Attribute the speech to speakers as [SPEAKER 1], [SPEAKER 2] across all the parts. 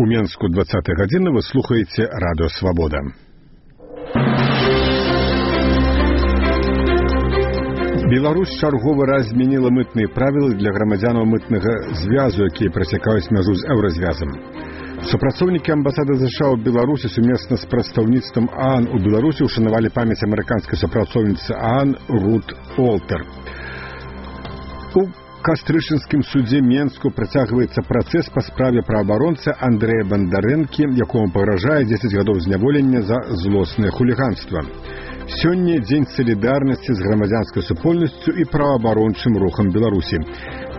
[SPEAKER 1] У Менску 20 гадзіны вы слухаеце радыё Свабода. Беларусь чарговы раз змяніла мытныя правілы для грамадзянаў мытнага звязу, якія прасякаюць мяжу з еўразвязам. Супрацоўнікі амбасады США ў Беларусі сумесна з прадстаўніцтвам ААН у Беларусі ушанавалі памяць амерыканскай супрацоўніцы ААН Рут Олтер. У Кастрычынскім судзе Менску працягваецца працэс па справе праабаронцы Андрэя Бандарэнкі, якому пагражае 10 гадоў зняволення за злоснае хуліганства. Сёння дзень салідарнасці з грамадзянскай супольнасцю і праваабарончым рухам Беларусі.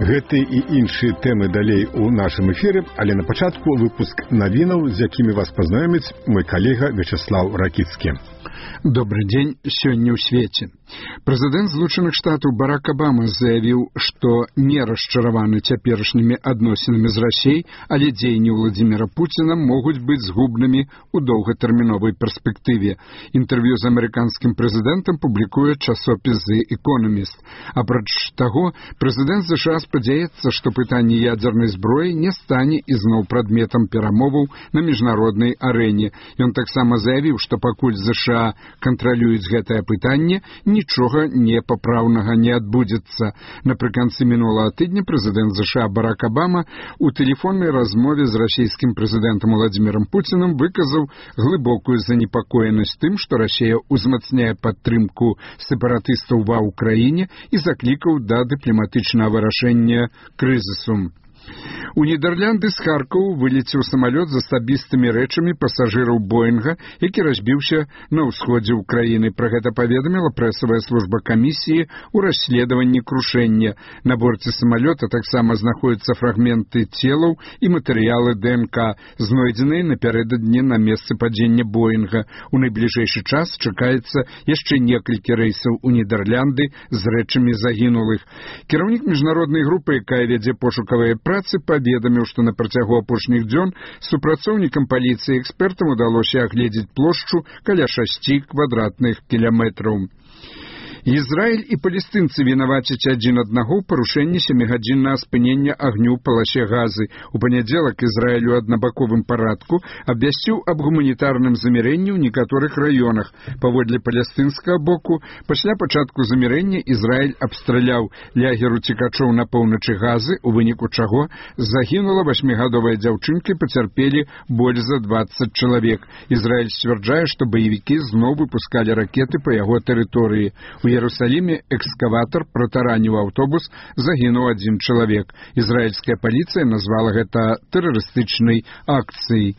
[SPEAKER 1] Гэтыя і іншыя тэмы далей у нашым эфіры, але на пачатку выпуск навінаў, з якімі вас пазнаёміць мой калега Вячеслав Ракіцкі.
[SPEAKER 2] Добрый день. Сёння ў свеце. Прэзідэнт Злучаных Штатаў Барак Абама заявіў, што не расчараваны цяперашнімі адносінамі з Расей, але дзеянні Владзіміра Пуціна могуць быць згубнымі ў доўгатэрміновай перспектыве. Інтэрв'ю з амерыканскім прэзідэнтам публікуе часопіс The Economist. Апроч таго, прэзідэнт США спадзяецца, што пытанне ядзернай зброі не стане ізноў прадметам перамоваў на міжнароднай арэне. Ён таксама заявіў, што пакуль США кантралююць гэтае пытанне, нічога непапраўнага не адбудзецца. Напрыканцы мінулага тыдня прэзідэнт США Барак Абама у тэлефоннай размове з расійскім прэзідэнтам Владзімірам Пуцінам выказаў глыбокую занепакоенасць тым, што Расія узмацняе падтрымку сепаратыстаў ва ўкраіне і заклікаў да дыпламатычнага вырашэння крызісу. У Нідерланды з Харкова вылецеў самалёт з асабістымі рэчамі пасажыраў Боінга, які разбіўся на ўсходзе ўкраіны. Пра гэта паведаміла прэсавая служба камісіі ў расследаванні крушэння. На борце самалёта таксама знаходзяцца фрагменты целаў і матэрыялы ДНК, знойдзеныя напярэдадні на месцы падзення Боінга. У найбліжэйшы час чакаецца яшчэ некалькі рэйсаў у Нідерланды з рэчамі загінулых. Кіраўнік міжнароднай групы, якая вядзе пошукавыя працы, паведаміў, што на працягу апошніх дзён супрацоўнікам паліцыі і экспертам удалося агледзець плошчу каля 6 квадратных кіламетраў. Ізраіль і палестынцы вінавацяць адзін аднаго ў парушэнні 7-гадзіннага спынення агню ў паласе Газы. У панядзелак Ізраіль у аднабаковым парадку абвясціў аб гуманітарным замірэнні ў некаторых раёнах. Паводле палестынскага боку, пасля пачатку замірэння Ізраіль абстраляў лагер уцекачоў на поўначы Газы, у выніку чаго загінула 8-гадовая дзяўчынка і пацярпелі больш за 20 чалавек. Ізраіль сцвярджае, што баевікі зноў выпускалі ракеты па яго тэрыторыі. У Иерусалиме экскаватор протараніў аўтобус, загінуў 1 чалавек. Ізраільская паліцыя назвала гэта тэрарыстычнай акцыяй.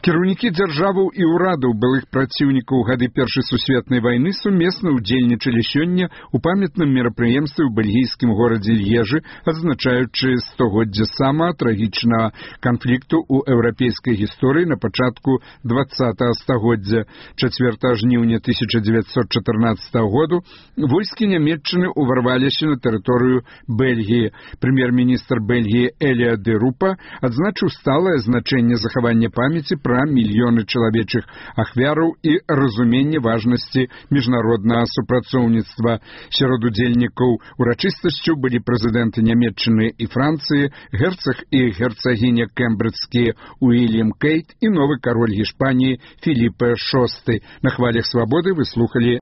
[SPEAKER 2] Кіраўнікі дзяржаваў і ўрадаў былых праціўнікаў гады Першай сусветнай вайны сумесна ўдзельнічалі сёння ў памятным мерапрыемстве ў бельгійскім горадзе Льежы, адзначаючы 100годдзе самага трагічнага канфлікту ў еўрапейскай гісторыі на пачатку 20-го стагоддзя. 4 жніўня 1914 году войскі нямецчыны ўварваліся на тэрыторыю Бельгіі. Прэм'ер-міністр Бельгіі Эліа де Рупа адзначыў сталае значэнне захавання памяці пра мільёны чалавечых ахвяраў і разуменне важнасці міжнароднага супрацоўніцтва. Сярод удзельнікаў урачыстасцю былі прэзідэнты Нямецчыны і Францыі, герцаг і герцагіня кембриджскія Уільям Кейт і новы кароль Гішпаніі Філіпе VI. На хвалях свабоды вы слухалі